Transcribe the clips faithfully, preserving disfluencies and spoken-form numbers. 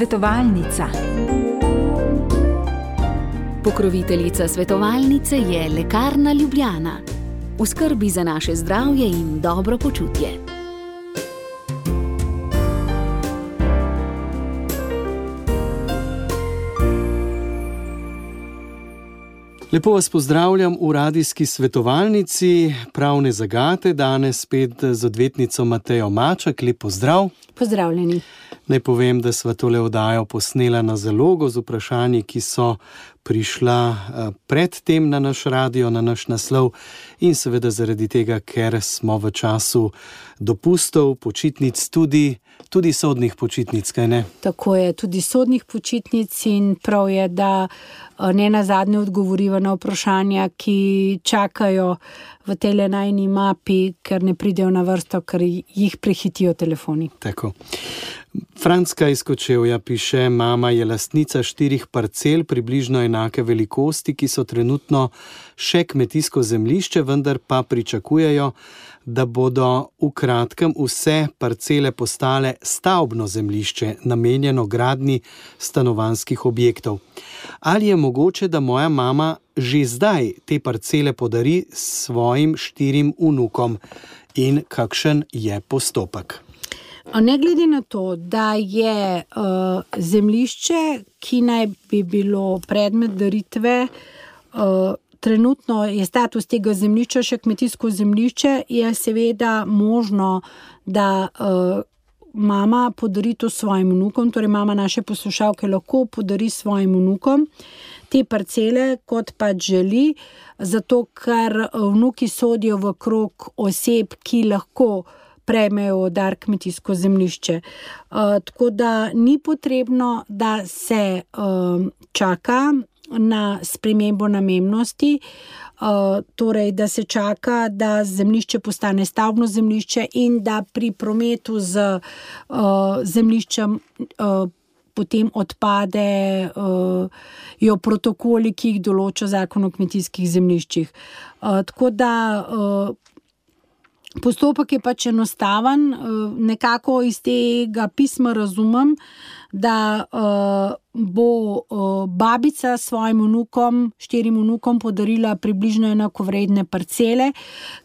Svetovalnica. Pokroviteljica svetovalnice je Lekarna Ljubljana. V skrbi za naše zdravje in dobro počutje. Lepo vas pozdravljam v radijski svetovalnici Pravne zagate, danes spet z odvetnico Matejo Maček. Lep pozdrav. Pozdravljeni. Naj povem, da sva tole oddajo posnela na zalogo z vprašanji, ki so prišla predtem na naš radio, na naš naslov in seveda zaradi tega, ker smo v času dopustov, počitnic, tudi, tudi sodnih počitnic, kaj ne? Tako je, tudi sodnih počitnic in prav je, da ne nazadnje odgovoriva na vprašanja, ki čakajo v tele najni mapi, ker ne pridejo na vrsto, ker jih prehitijo telefoni. Tako. Francka iz Kočevja piše: mama je lastnica štirih parcel približno enake velikosti, ki so trenutno še kmetijsko zemljišče, vendar pa pričakujejo, da bodo v kratkem vse parcele postale stavbno zemljišče, namenjeno gradnji stanovanjskih objektov. Ali je mogoče, da moja mama že zdaj te parcele podari svojim štirim vnukom in kakšen je postopek? Ne glede na to, da je uh, zemljišče, ki naj bi bilo predmet daritve, uh, trenutno je status tega zemljišča še kmetijsko zemljišče, je seveda možno, da uh, mama podari to svojim vnukom, torej mama naše poslušalke lahko podari svojim vnukom te parcele, kot pač želi, zato ker vnuki sodijo v krog oseb, ki lahko prejmejo dar kmetijsko zemljišče. Uh, tako da ni potrebno, da se uh, čaka na spremembo namembnosti, uh, torej da se čaka, da zemljišče postane stavbno zemljišče in da pri prometu z uh, zemljiščem uh, potem odpade uh, jo protokoli, ki jih določa Zakon o kmetijskih zemljiščih. Uh, tako da uh, postopek je pač enostaven, nekako iz tega pisma razumem, da uh, bo uh, babica svojim vnukom, štirim vnukom podarila približno enakovredne parcele,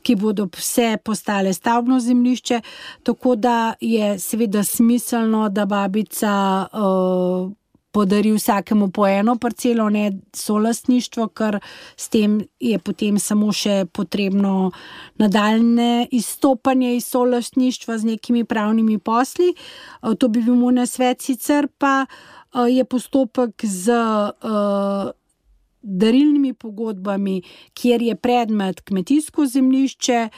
ki bodo vse postale stavbno zemljišče, tako da je seveda smiselno, da babica uh, podari vsakemu po eno parcelo, ne solastništvo, ker s tem je potem samo še potrebno nadaljne izstopanje iz solastništva z nekimi pravnimi posli. To bi bil moj nasvet, sicer pa je postopek z uh, darilnimi pogodbami, kjer je predmet kmetijsko zemljišče,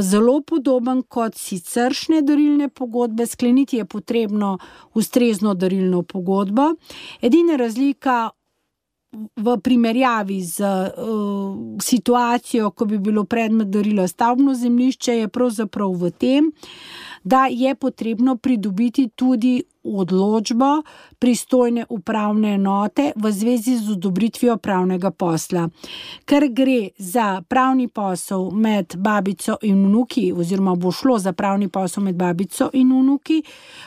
zelo podoben kot siceršnje darilne pogodbe. Skleniti je potrebno ustrezno darilno pogodbo. Edina razlika v primerjavi z uh, situacijo, ko bi bilo predmet darila stavbno zemljišče, je pravzaprav v tem, da je potrebno pridobiti tudi odločbo pristojne upravne enote v zvezi z odobritvijo pravnega posla. Ker gre za pravni posel med babico in vnuki, oziroma bo šlo za pravni posel med babico in vnuki,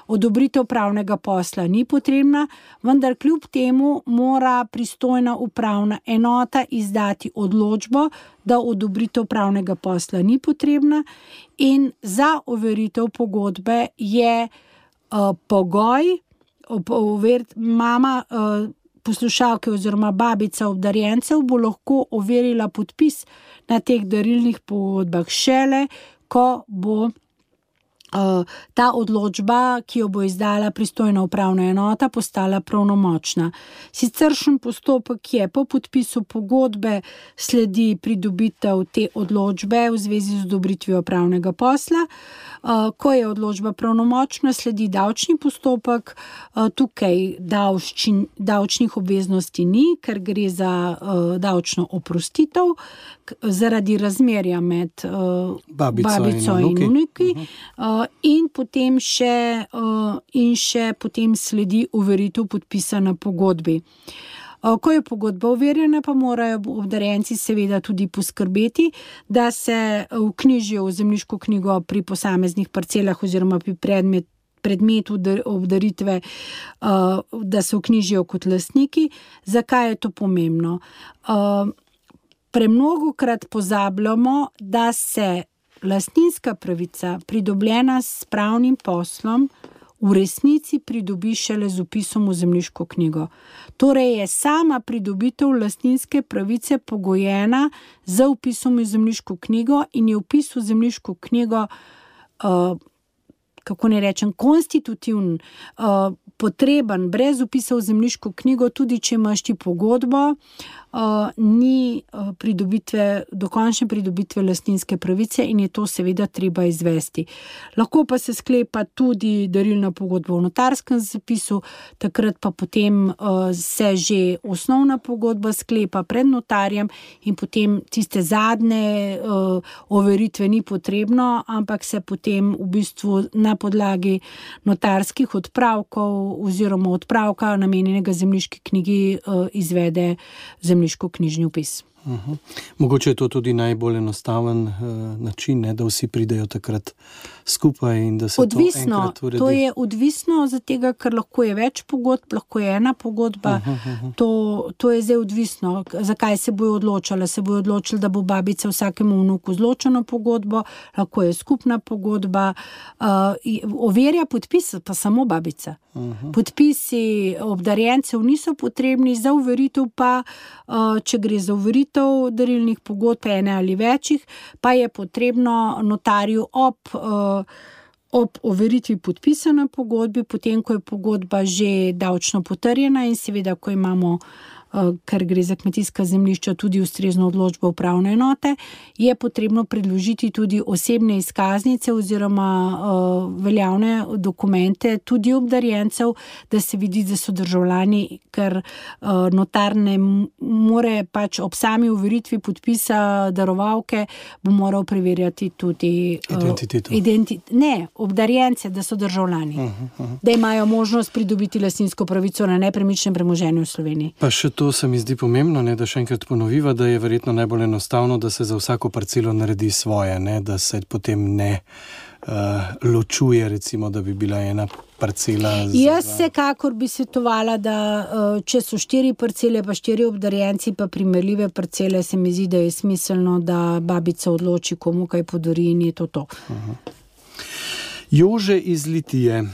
odobritev pravnega posla ni potrebna, vendar kljub temu mora pristojna upravna enota izdati odločbo, da odobritev pravnega posla ni potrebna, in za overitev pogodbe je Uh, pogoj, overit, mama uh, poslušalke oziroma babica obdarjencev bo lahko overila podpis na teh darilnih pogodbah šele, ko bo uh, ta odločba, ki jo bo izdala pristojna upravna enota, postala pravnomočna. Siceršen postopek je: po podpisu pogodbe sledi pridobitev te odločbe v zvezi z odobritvijo pravnega posla. Ko je odločba pravnomočna, sledi davčni postopek. Tukaj davščin, davčnih obveznosti ni, ker gre za uh, davčno oprostitev zaradi razmerja med uh, babico, babico in vnuki. Uh, in potem še, uh, in še potem sledi overitev podpisa na pogodbi. Ko je pogodba overjena, pa morajo obdarjenci seveda tudi poskrbeti, da se vknjižijo v zemljiško knjigo pri posameznih parcelah oziroma pri predmet, predmet obdaritve, da se vknjižijo kot lastniki. Zakaj je to pomembno? Premnogokrat pozabljamo, da se lastninska pravica, pridobljena s pravnim poslom, v resnici pridobi šele z vpisom v zemljiško knjigo. Torej je sama pridobitev lastninske pravice pogojena z vpisom v zemljiško knjigo in je vpis v zemljiško knjigo, uh, kako ne rečem, konstitutivn, uh, potreben, brez vpisa v zemljiško knjigo, tudi če imaš ti pogodbo, uh, ni uh, pridobitve, dokončne pridobitve lastninske pravice in je to seveda treba izvesti. Lahko pa se sklepa tudi darilna pogodba v notarskem zapisu, takrat pa potem uh, se že osnovna pogodba sklepa pred notarjem in potem tiste zadnje uh, overitve ni potrebno, ampak se potem v bistvu na podlagi notarskih odpravkov oziroma odpravka namenjenega zemljiški knjigi uh, izvede zemljiško-knjižni vpis. Uh-huh. Mogoče je to tudi najbolj enostaven uh, način, ne, da vsi pridejo takrat skupaj in da se odvisno, to enkrat uredi. To je odvisno od tega, ker lahko je več pogodb, lahko je ena pogodba. Uh-huh, uh-huh. To, to je zdaj odvisno. Zakaj se bojo odločali? Se bojo odločili, da bo babica vsakemu vnuku zločeno pogodbo, lahko je skupna pogodba. Uh, overja podpis pa samo babica. Uh-huh. Podpisi obdarjencev niso potrebni, za overitev pa, uh, če gre za overitev darilnih pogodb, ene ali večjih, pa je potrebno notarju ob, ob overitvi podpisa na pogodbi, potem, ko je pogodba že davčno potrjena in seveda, ko imamo, ker gre za kmetijska zemljišča, tudi ustrezno odločbo upravne enote, je potrebno predložiti tudi osebne izkaznice oziroma uh, veljavne dokumente tudi obdarjencev, da se vidi, da so državljani, ker uh, notar ne more pač ob sami overitvi podpisa darovalke, bo moral preverjati tudi uh, identiteto. Identi- ne, obdarjence, da so državljani, uh-huh, uh-huh. Da imajo možnost pridobiti lastninsko pravico na nepremičnem premoženju v Sloveniji. Pa še to se mi zdi pomembno, ne, da še enkrat ponoviva, da je verjetno najbolj enostavno, da se za vsako parcelo naredi svoje, ne, da se potem ne uh, ločuje, recimo, da bi bila ena parcela. Jaz vsekakor bi svetovala, da uh, če so štiri parcele, pa štiri obdarjenci, pa primerljive parcele, se mi zdi, da je smiselno, da babica odloči, komu kaj podari in je to to. Uh-huh. Jože iz Litije.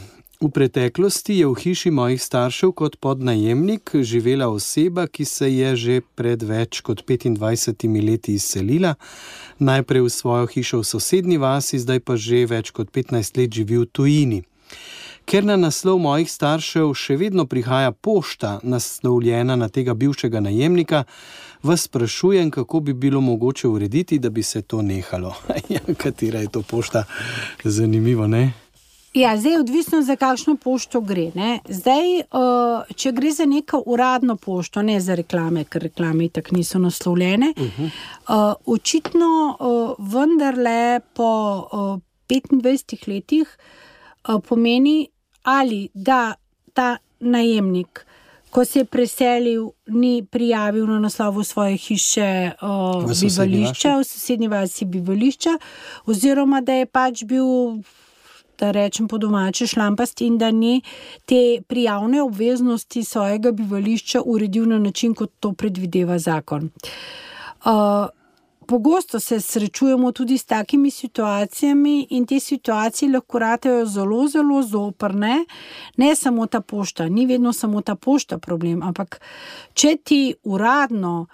V preteklosti je v hiši mojih staršev kot podnajemnik živela oseba, ki se je že pred več kot petindvajsetimi leti izselila. Najprej v svojo hišo v sosednji vasi, zdaj pa že več kot petnajst let živi v tujini. Ker na naslov mojih staršev še vedno prihaja pošta, naslovljena na tega bivšega najemnika, vas sprašujem, kako bi bilo mogoče urediti, da bi se to nehalo. Ja, katera je to pošta? Zanimivo, ne? Ja, zdaj je odvisno, za kakšno pošto gre. Ne? Zdaj, če gre za neko uradno pošto, ne za reklame, ker reklame itak niso naslovljene, uh-huh. očitno vendarle po petindvajsetih letih pomeni, ali da ta najemnik, ko se je preselil, ni prijavil na naslovu svoje hiše uh, v bivališča, v sosednji vasi bivališča, oziroma da je pač bil, da rečem po domače, šlampast in da ni te prijavne obveznosti svojega bivališča uredil na način, kot to predvideva zakon. Uh, Pogosto se srečujemo tudi s takimi situacijami in te situacije lahko ratejo zelo, zelo zoprne. Ne samo ta pošta, ni vedno samo ta pošta problem, ampak če ti uradno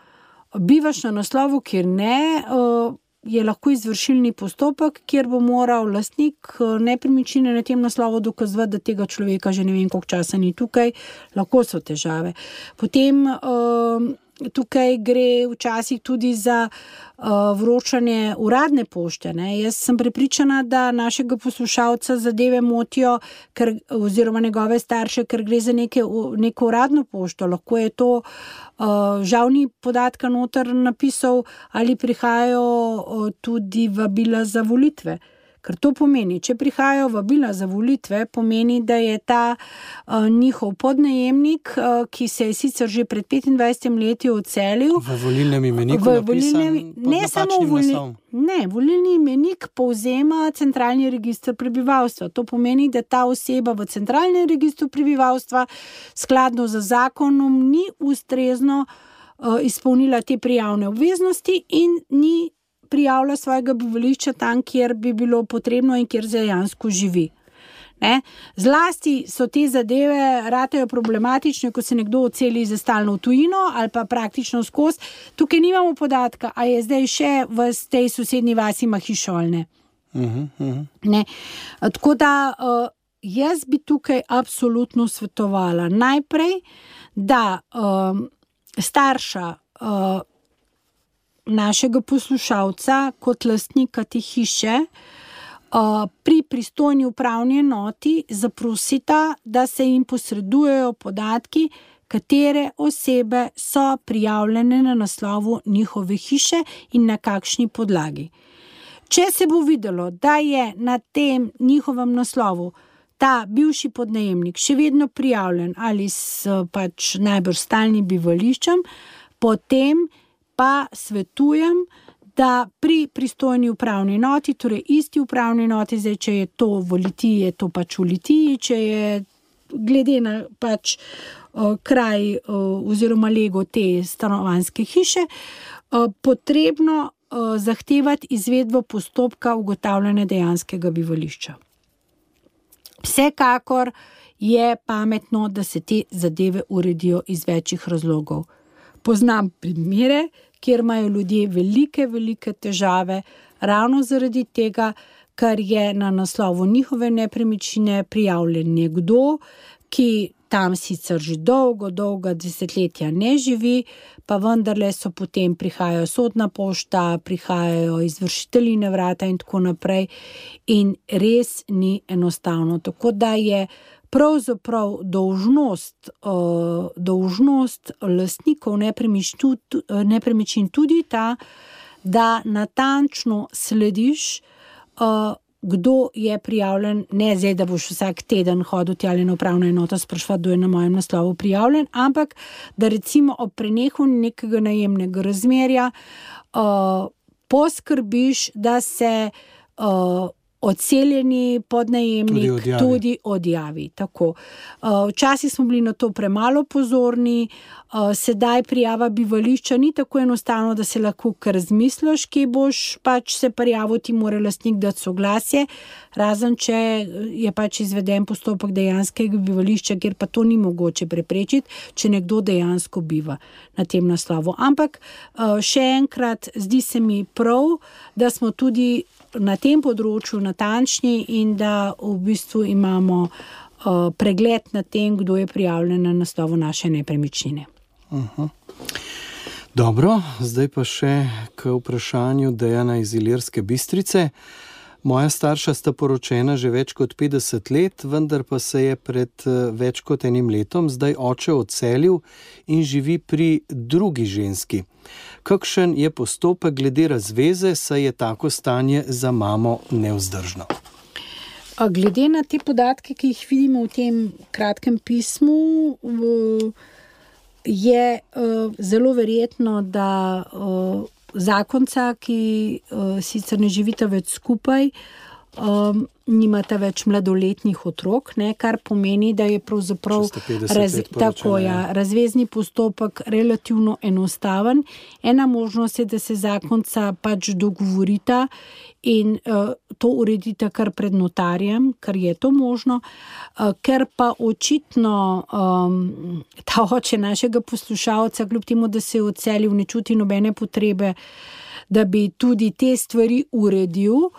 bivaš na naslovu, kjer ne, je lahko izvršilni postopek, kjer bo moral lastnik nepremičnine na tem naslovu dokazovati, da tega človeka že ne vem koliko časa ni tukaj, lahko so težave. Potem tukaj gre včasih tudi za uh, vročanje uradne pošte. Ne? Jaz sem prepričana, da našega poslušalca zadeve motijo, ker, oziroma njegove starše, ker gre za neke, neko uradno pošto. Lahko je to, uh, žal ni podatka noter napisal, ali prihajajo uh, tudi vabila za volitve. Ker to pomeni, če prihajajo vabila za volitve, pomeni, da je ta uh, njihov podnajemnik, uh, ki se je sicer že pred petindvajsetimi leti odselil. V volilnem imeniku v napisan volilnem, pod ne samo napačnim volilni, naslovom. ne, volilni imenik povzema centralni register prebivalstva. To pomeni, da ta oseba v centralnem registru prebivalstva skladno z zakonom ni ustrezno uh, izpolnila te prijavne obveznosti in ni prijavlja svojega bivališča tam, kjer bi bilo potrebno in kjer dejansko živi. Ne? Zlasti so te zadeve ratejo problematične, ko se nekdo odseli za stalno v tujino ali pa praktično skozi. Tukaj nimamo podatka, a je zdaj še v tej sosednji vasi ima hišo ali ne. Uh-huh, uh-huh. Ne? Tako da uh, jaz bi tukaj absolutno svetovala najprej, da um, starša uh, našega poslušalca kot lastnika te hiše uh, pri pristojni upravni enoti zaprosita, da se jim posredujejo podatki, katere osebe so prijavljene na naslovu njihove hiše in na kakšni podlagi. Če se bo videlo, da je na tem njihovem naslovu ta bivši podnajemnik še vedno prijavljen ali s pač najbrž stalnim bivališčem, potem pa svetujem, da pri pristojni upravni enoti, torej isti upravni enoti, zdaj, če je to v Litiji, je to pač v Litiji, če je glede na pač uh, kraj uh, oziroma lego te stanovanjske hiše, uh, potrebno uh, zahtevati izvedbo postopka ugotavljanja dejanskega bivališča. Vsekakor je pametno, da se te zadeve uredijo iz večjih razlogov. Poznam primere, kjer imajo ljudje velike, velike težave, ravno zaradi tega, ker je na naslovu njihove nepremičnine prijavljen nekdo, ki tam sicer že dolgo, dolga desetletja ne živi, pa vendarle so potem prihajajo sodna pošta, prihajajo izvršitelji na vrata in tako naprej in res ni enostavno. Tako da je pravzaprav dolžnost, uh, dolžnost lastnikov nepremičnin tudi ta, da natančno slediš, uh, kdo je prijavljen, ne zdaj, da boš vsak teden hodil tjale na upravno enoto spraševati, kdo je na mojem naslovu prijavljen, ampak da recimo ob prenehu nekega najemnega razmerja uh, poskrbiš, da se uh, odseljeni podnajemnik tudi odjavi. Tudi odjavi. Tako. Včasih smo bili na to premalo pozorni, sedaj prijava bivališča ni tako enostavno, da se lahko kar razmisliš, kje boš pač se prijavil, ti mora lastnik dati soglasje, razen če je pač izveden postopek dejanskega bivališča, kjer pa to ni mogoče preprečiti, če nekdo dejansko biva na tem naslovu. Ampak še enkrat, zdi se mi prav, da smo tudi na tem področju natančni in da v bistvu imamo uh, pregled nad tem, kdo je prijavljen na naslovu naše nepremičnine. Uh-huh. Dobro, zdaj pa še k vprašanju Dejana iz Ilirske Bistrice. Moja starša sta poročena že več kot petdeset let, vendar pa se je pred več kot enim letom zdaj oče odselil in živi pri drugi ženski. Kakšen je postopek glede razveze, saj je tako stanje za mamo nevzdržno? Glede na te podatke, ki jih vidimo v tem kratkem pismu, je zelo verjetno, da zakonca, ki sicer ne živita več skupaj, nimata več mladoletnih otrok, ne, kar pomeni, da je pravzaprav raz, tako, ja, razvezni postopek relativno enostaven. Ena možnost je, da se zakonca pač dogovorita in uh, to uredita kar pred notarjem, ker je to možno, uh, ker pa očitno um, ta oče našega poslušalca, kljub temu, da se je odselil, ne čuti nobene potrebe, da bi tudi te stvari uredil.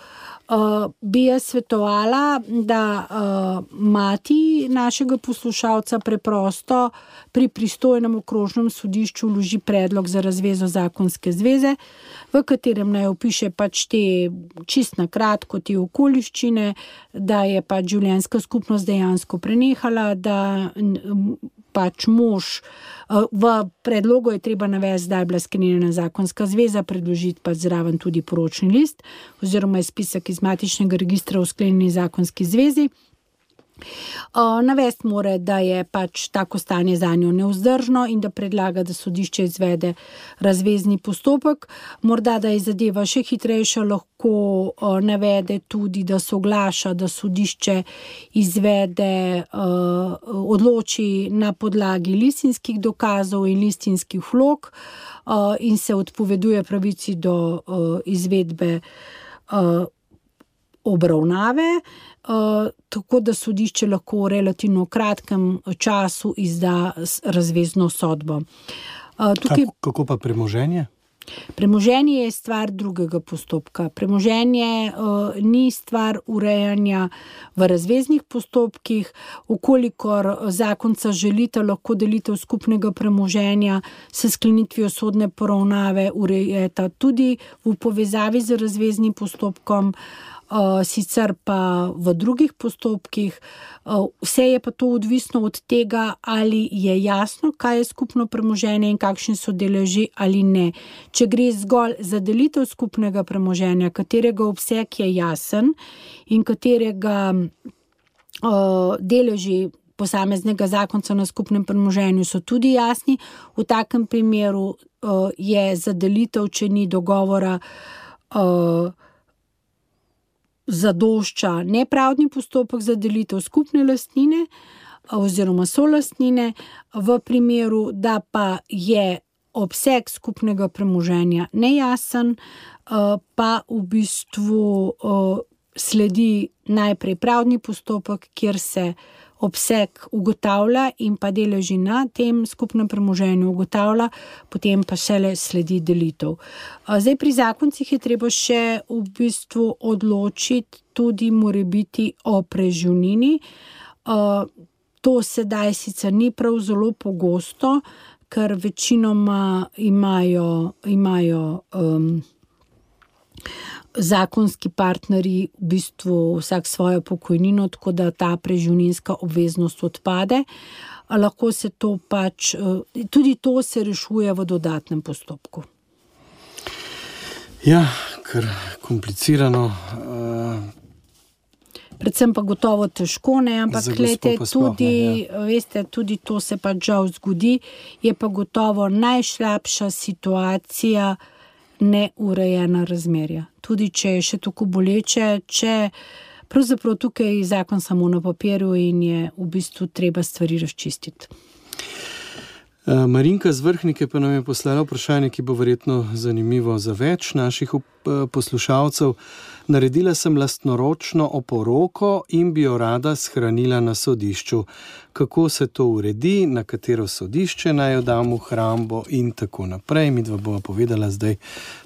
Uh, bi jaz svetovala, da uh, mati našega poslušalca preprosto pri pristojnem okrožnem sodišču vloži predlog za razvezo zakonske zveze, v katerem naj opiše pač te čist na kratko te okoliščine, da je pač življenjska skupnost dejansko prenehala, da pač mož, v predlogu je treba navesti, da je bila sklenjena zakonska zveza, predložiti pa zraven tudi poročni list oziroma izpisek iz matičnega registra o sklenjeni zakonski zvezi. Navesti mora, da je pač tako stanje zanjo nevzdržno in da predlaga, da sodišče izvede razvezni postopek. Morda, da je zadeva še hitrejša, lahko navede tudi, da soglaša, da sodišče izvede, odloči na podlagi listinskih dokazov in listinskih vlog in se odpoveduje pravici do izvedbe obravnave, Uh, tako da sodišče lahko v relativno kratkem času izda razvezno sodbo. Uh, tukaj... kako, kako pa premoženje? Premoženje je stvar drugega postopka. Premoženje uh, ni stvar urejanja v razveznih postopkih. Ukolikor zakonca želita, lahko delitev skupnega premoženja s sklenitvijo sodne poravnave urejeta tudi v povezavi z razveznim postopkom. Uh, sicer pa v drugih postopkih. Uh, vse je pa to odvisno od tega, ali je jasno, kaj je skupno premoženje in kakšni so deleži ali ne. Če gre zgolj za delitev skupnega premoženja, katerega obseg je jasen in katerega uh, deleži posameznega zakonca na skupnem premoženju so tudi jasni, v takem primeru uh, je za delitev, če ni dogovora, uh, zadošča nepravdni postopek za delitev skupne lastnine oziroma solastnine. V primeru, da pa je obseg skupnega premoženja nejasen, pa v bistvu sledi najprej pravdni postopek, kjer se obseg ugotavlja in pa deleži na tem skupnem premoženju ugotavlja, potem pa šele sledi delitev. Zdaj pri zakoncih je treba še v bistvu odločiti tudi morebiti o preživnini. To sedaj sicer ni prav zelo pogosto, ker večinoma imajo, imajo um, zakonski partnerji v bistvu vsak svojo pokojnino, tako da ta preživninska obveznost odpade. Lahko se to pač, tudi to se rešuje v dodatnem postopku. Ja, kar komplicirano. Predvsem pa gotovo težko, ne, ampak glejte, tudi, ja. Veste, tudi to se pa žal zgodi, je pa gotovo najslabša situacija neurejena razmerja. Tudi če je še tako boleče, če pravzaprav tukaj je zakon samo na papirju in je v bistvu treba stvari razčistiti. Marinka z Vrhnike pa nam je poslala vprašanje, ki bo verjetno zanimivo za več naših poslušalcev. Naredila sem lastnoročno oporoko in bi jo rada shranila na sodišču. Kako se to uredi, na katero sodišče naj jo dam v hrambo in tako naprej. Midva bova povedala zdaj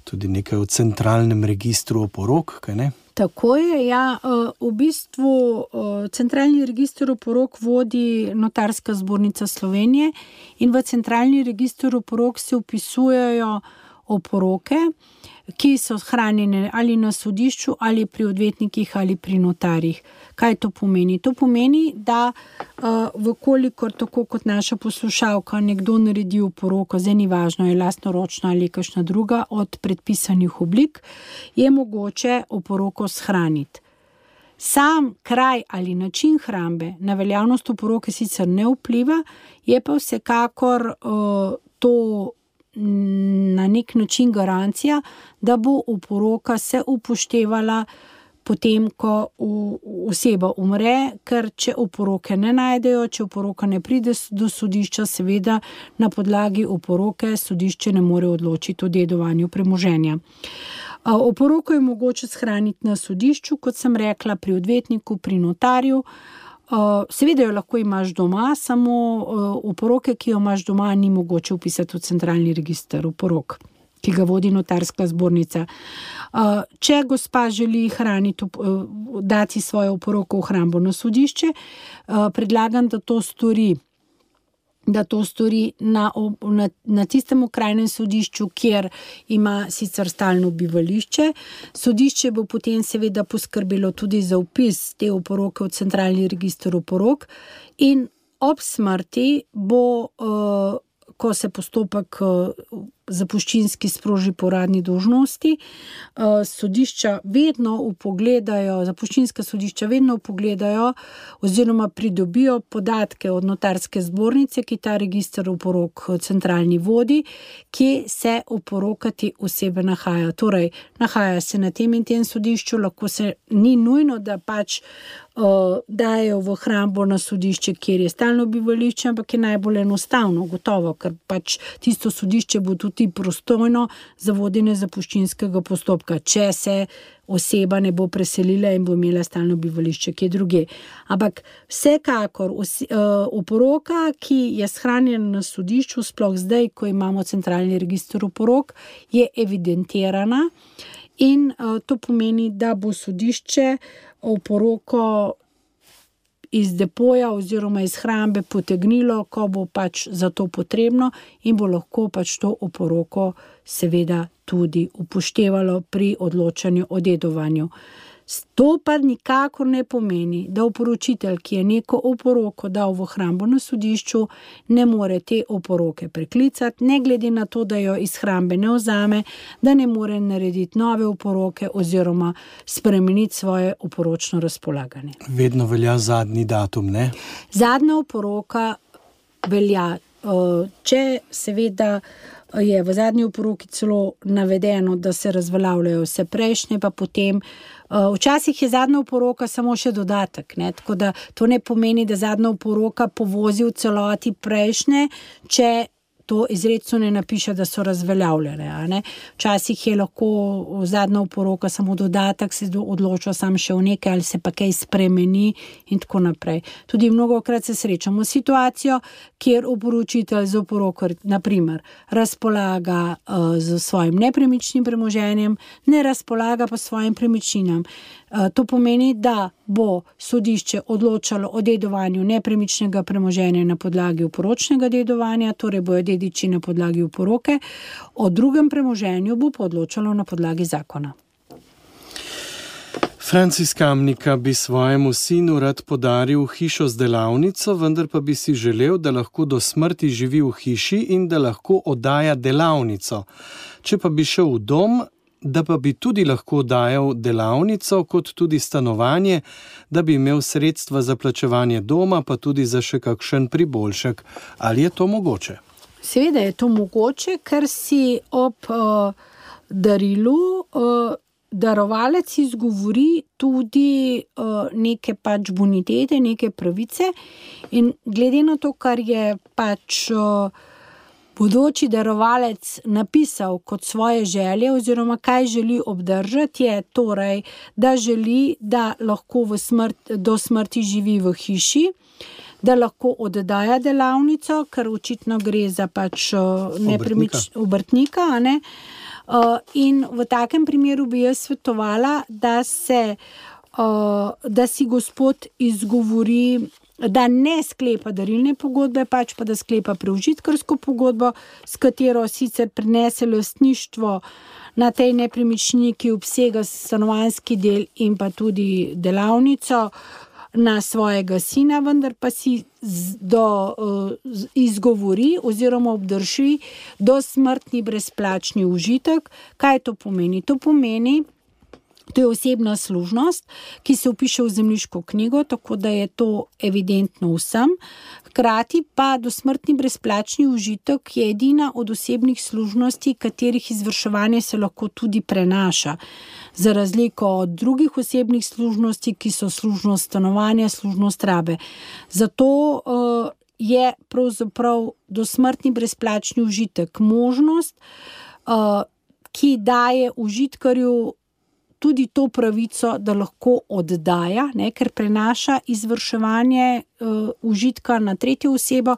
tudi nekaj o centralnem registru oporok, kaj ne? Tako je, ja. V bistvu centralni register oporok vodi Notarska zbornica Slovenije in v centralni register oporok se vpisujejo oporoke, ki so hranjene ali na sodišču, ali pri odvetnikih, ali pri notarjih. Kaj to pomeni? To pomeni, da vkolikor tako kot naša poslušalka nekdo naredi oporoko, zdaj ni važno, je lastnoročna ali kakšna druga od predpisanih oblik, je mogoče oporoko shraniti. Sam kraj ali način hrambe na veljavnost oporoke sicer ne vpliva, je pa vsekakor to na nek način garancija, da bo oporoka se upoštevala potem, ko oseba umre, ker če oporoke ne najdejo, če oporoka ne pride do sodišča, seveda na podlagi oporoke sodišče ne more odločiti o dedovanju premoženja. Oporoko je mogoče shraniti na sodišču, kot sem rekla, pri odvetniku, pri notarju. Seveda jo lahko imaš doma, samo oporoke, ki jo imaš doma, ni mogoče vpisati v centralni register oporok, ki ga vodi Notarska zbornica. Če gospa želi hraniti, dati svojo oporoko v hrambo na sodišče, predlagam, da to stori da to stori na, na, na tistem okrajnem sodišču, kjer ima sicer stalno bivališče. Sodišče bo potem seveda poskrbelo tudi za vpis te oporoke v centralni register oporok in ob smrti bo, uh, ko se postopek uh, zapuščinski sproži po uradni dolžnosti, uh, sodišča vedno vpogledajo, zapuščinska sodišča vedno vpogledajo oziroma pridobijo podatke od notarske zbornice, ki ta register oporok centralni vodi, kje se oporokati osebe nahaja. Torej, nahaja se na tem in tem sodišču, lahko se ni nujno, da pač uh, dajo v hrambo na sodišče, kjer je stalno bivališče, ampak je najbolj enostavno, gotovo, ker pač tisto sodišče bo tudi prostojno za vodenje zapuščinskega postopka, če se oseba ne bo preselila in bo imela stalno bivališče kje druge. Ampak vsekakor oporoka, ki je shranjena na sodišču, sploh zdaj, ko imamo centralni register oporok, je evidentirana in to pomeni, da bo sodišče oporoko iz depoja oziroma iz hrambe potegnilo, ko bo pač za to potrebno in bo lahko pač to oporoko seveda tudi upoštevalo pri odločanju o dedovanju. To pa nikakor ne pomeni, da oporočitelj, ki je neko oporoko dal v hrambo na sodišču, ne more te oporoke preklicati, ne glede na to, da jo iz hrambe ne vzame, da ne more narediti nove oporoke oziroma spremeniti svoje oporočno razpolaganje. Vedno velja zadnji datum, ne? Zadnja oporoka velja, če seveda je v zadnji oporoki celo navedeno, da se razveljavljajo vse prejšnje, pa potem včasih je zadnja oporoka samo še dodatek, ne? Tako da to ne pomeni, da zadnja oporoka povozi v celoti prejšnje, če to izrecno ne napiše, da so razveljavljene. A ne? Včasih je lahko zadnja oporoka samo dodatek, se odloča sam še v nekaj ali se pa kaj spremeni in tako naprej. Tudi mnogokrat se srečamo situacijo, kjer oporočitelj z oporoko, naprimer, razpolaga uh, z svojim nepremičnim premoženjem, ne razpolaga pa svojim premičninam. To pomeni, da bo sodišče odločalo o dedovanju nepremičnega premoženja na podlagi oporočnega dedovanja, torej bojo dediči na podlagi oporoke, o drugem premoženju bo pa odločalo na podlagi zakona. Franc iz Kamnika bi svojemu sinu rad podaril hišo z delavnico, vendar pa bi si želel, da lahko do smrti živi v hiši in da lahko oddaja delavnico. Če pa bi šel v dom, da pa bi tudi lahko dajal delavnico kot tudi stanovanje, da bi imel sredstva za plačevanje doma, pa tudi za še kakšen priboljšek. Ali je to mogoče? Seveda je to mogoče, ker si ob uh, darilu uh, darovalec izgovori tudi uh, neke pač bonitete, neke pravice in glede na to, kar je pač uh, bodoči darovalec napisal kot svoje želje oziroma kaj želi obdržati, je torej, da želi, da lahko v smrt, do smrti živi v hiši, da lahko oddaja delavnico, ker očitno gre za pač nepremič obrtnika, a ne? In v takem primeru bi jaz svetovala, da se, da si gospod izgovori, da ne sklepa darilne pogodbe, pač pa da sklepa preužitkarsko pogodbo, s katero sicer prenese lastništvo na tej nepremičnini, ki obsega stanovanjski del in pa tudi delavnico na svojega sina, vendar pa si do, uh, izgovori oziroma obdrži dosmrtni brezplačni užitek. Kaj to pomeni? To pomeni, to je osebna služnost, ki se vpiše v zemljiško knjigo, tako da je to evidentno vsem. Hkrati pa dosmrtni brezplačni užitek je edina od osebnih služnosti, katerih izvrševanje se lahko tudi prenaša. Za razliko od drugih osebnih služnosti, ki so služnost stanovanja, služnost rabe. Zato uh, je pravzaprav dosmrtni brezplačni užitek možnost, uh, ki daje užitkarju tudi to pravico, da lahko oddaja, ne, ker prenaša izvrševanje uh, užitka na tretjo osebo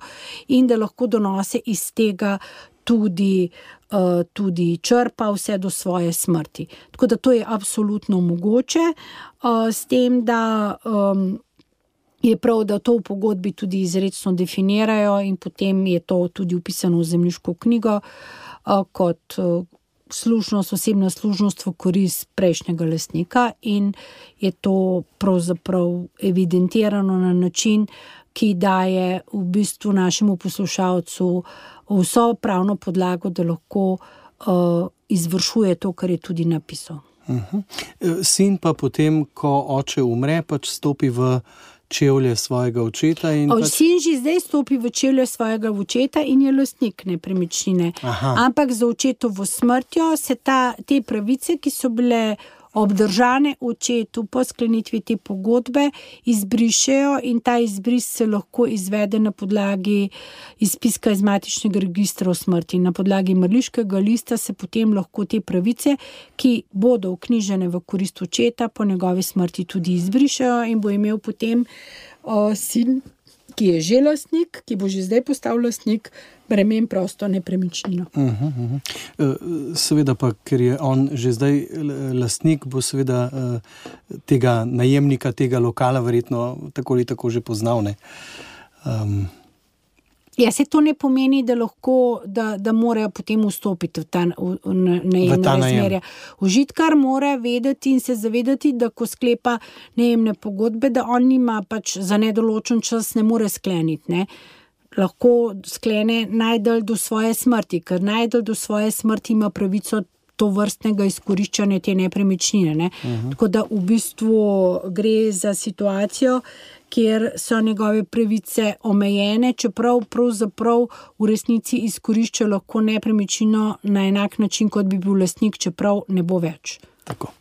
in da lahko donose iz tega tudi, uh, tudi črpa vse do svoje smrti. Tako da to je absolutno mogoče, uh, s tem, da um, je prav, da to v pogodbi tudi izrecno definirajo in potem je to tudi upisano v zemljiško knjigo uh, kot uh, služnost, osebna služnost v korist prejšnjega lastnika in je to pravzaprav evidentirano na način, ki daje v bistvu našemu poslušalcu vso pravno podlago, da lahko uh, izvršuje to, kar je tudi napisal. Uh-huh. Sin pa potem, ko oče umre, pač stopi v čevlje svojega očeta. In o, pač... Sin že zdaj stopi v čevlje svojega očeta in je lastnik nepremičnine. Aha. Ampak za očetovo smrtjo se ta, te pravice, ki so bile obdržane očetu po sklenitvi te pogodbe, izbrišejo in ta izbris se lahko izvede na podlagi izpiska iz matičnega registra o smrti. Na podlagi mrliškega lista se potem lahko te pravice, ki bodo vknjižene v korist očeta, po njegovi smrti tudi izbrišejo in bo imel potem o, sin, ki je že lastnik, ki bo že zdaj postal lastnik, bremen prosto nepremičnino. Uh-huh, uh-huh. Seveda pa, ker je on že zdaj lastnik, bo seveda tega najemnika, tega lokala verjetno tako ali tako že poznal, ne? Um. Ja, se to ne pomeni, da lahko, da, da morajo potem vstopiti v ta, v, v najemne razmerja. Užitkar mora vedeti in se zavedati, da ko sklepa najemne pogodbe, da on nima pač za nedoločen čas ne more skleniti, ne. Lahko sklene najdalj do svoje smrti, ker najdalj do svoje smrti ima pravico to vrstnega izkoriščanja te nepremičnine. Ne? Uh-huh. Tako da v bistvu gre za situacijo, kjer so njegove pravice omejene, čeprav pravzaprav v resnici izkorišča lahko nepremičnino na enak način, kot bi bil lastnik, čeprav ne bo več. Tako.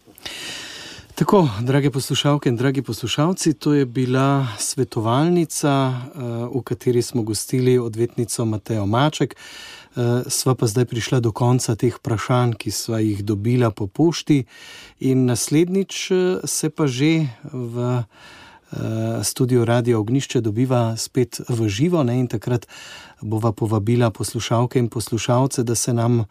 Tako, drage poslušalke in dragi poslušalci, to je bila svetovalnica, v kateri smo gostili odvetnico Matejo Maček. Sva pa zdaj prišla do konca teh vprašanj, ki sva jih dobila po pošti, in naslednjič se pa že v studiu Radia Ognjišče dobiva spet v živo, ne, in takrat bova povabila poslušalke in poslušalce, da se nam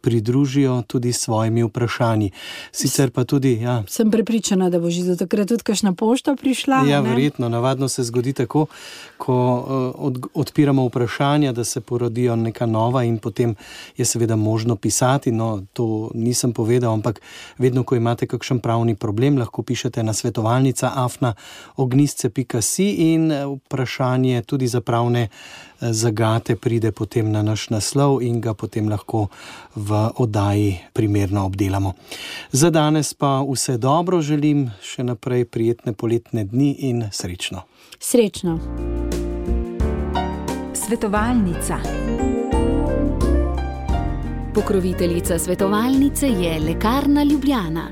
pridružijo tudi s svojimi vprašanji. Sicer pa tudi, ja. Sem prepričana, da bo že do takrat tudi kakšna pošta prišla. Ja, ne? Verjetno. Navadno se zgodi tako, ko od, odpiramo vprašanja, da se porodijo neka nova in potem je seveda možno pisati. No, to nisem povedal, ampak vedno, ko imate kakšen pravni problem, lahko pišete na svetovalnica afna ognjisce pika si in vprašanje tudi za pravne zagate pride potem na naš naslov in ga potem lahko v oddaji primerno obdelamo. Za danes pa vse dobro želim, še naprej prijetne poletne dni in srečno. Srečno. Svetovalnica. Pokroviteljica svetovalnice je Lekarna Ljubljana.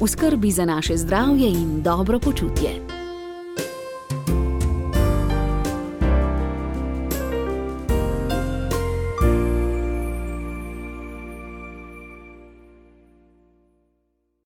V skrbi za naše zdravje in dobro počutje.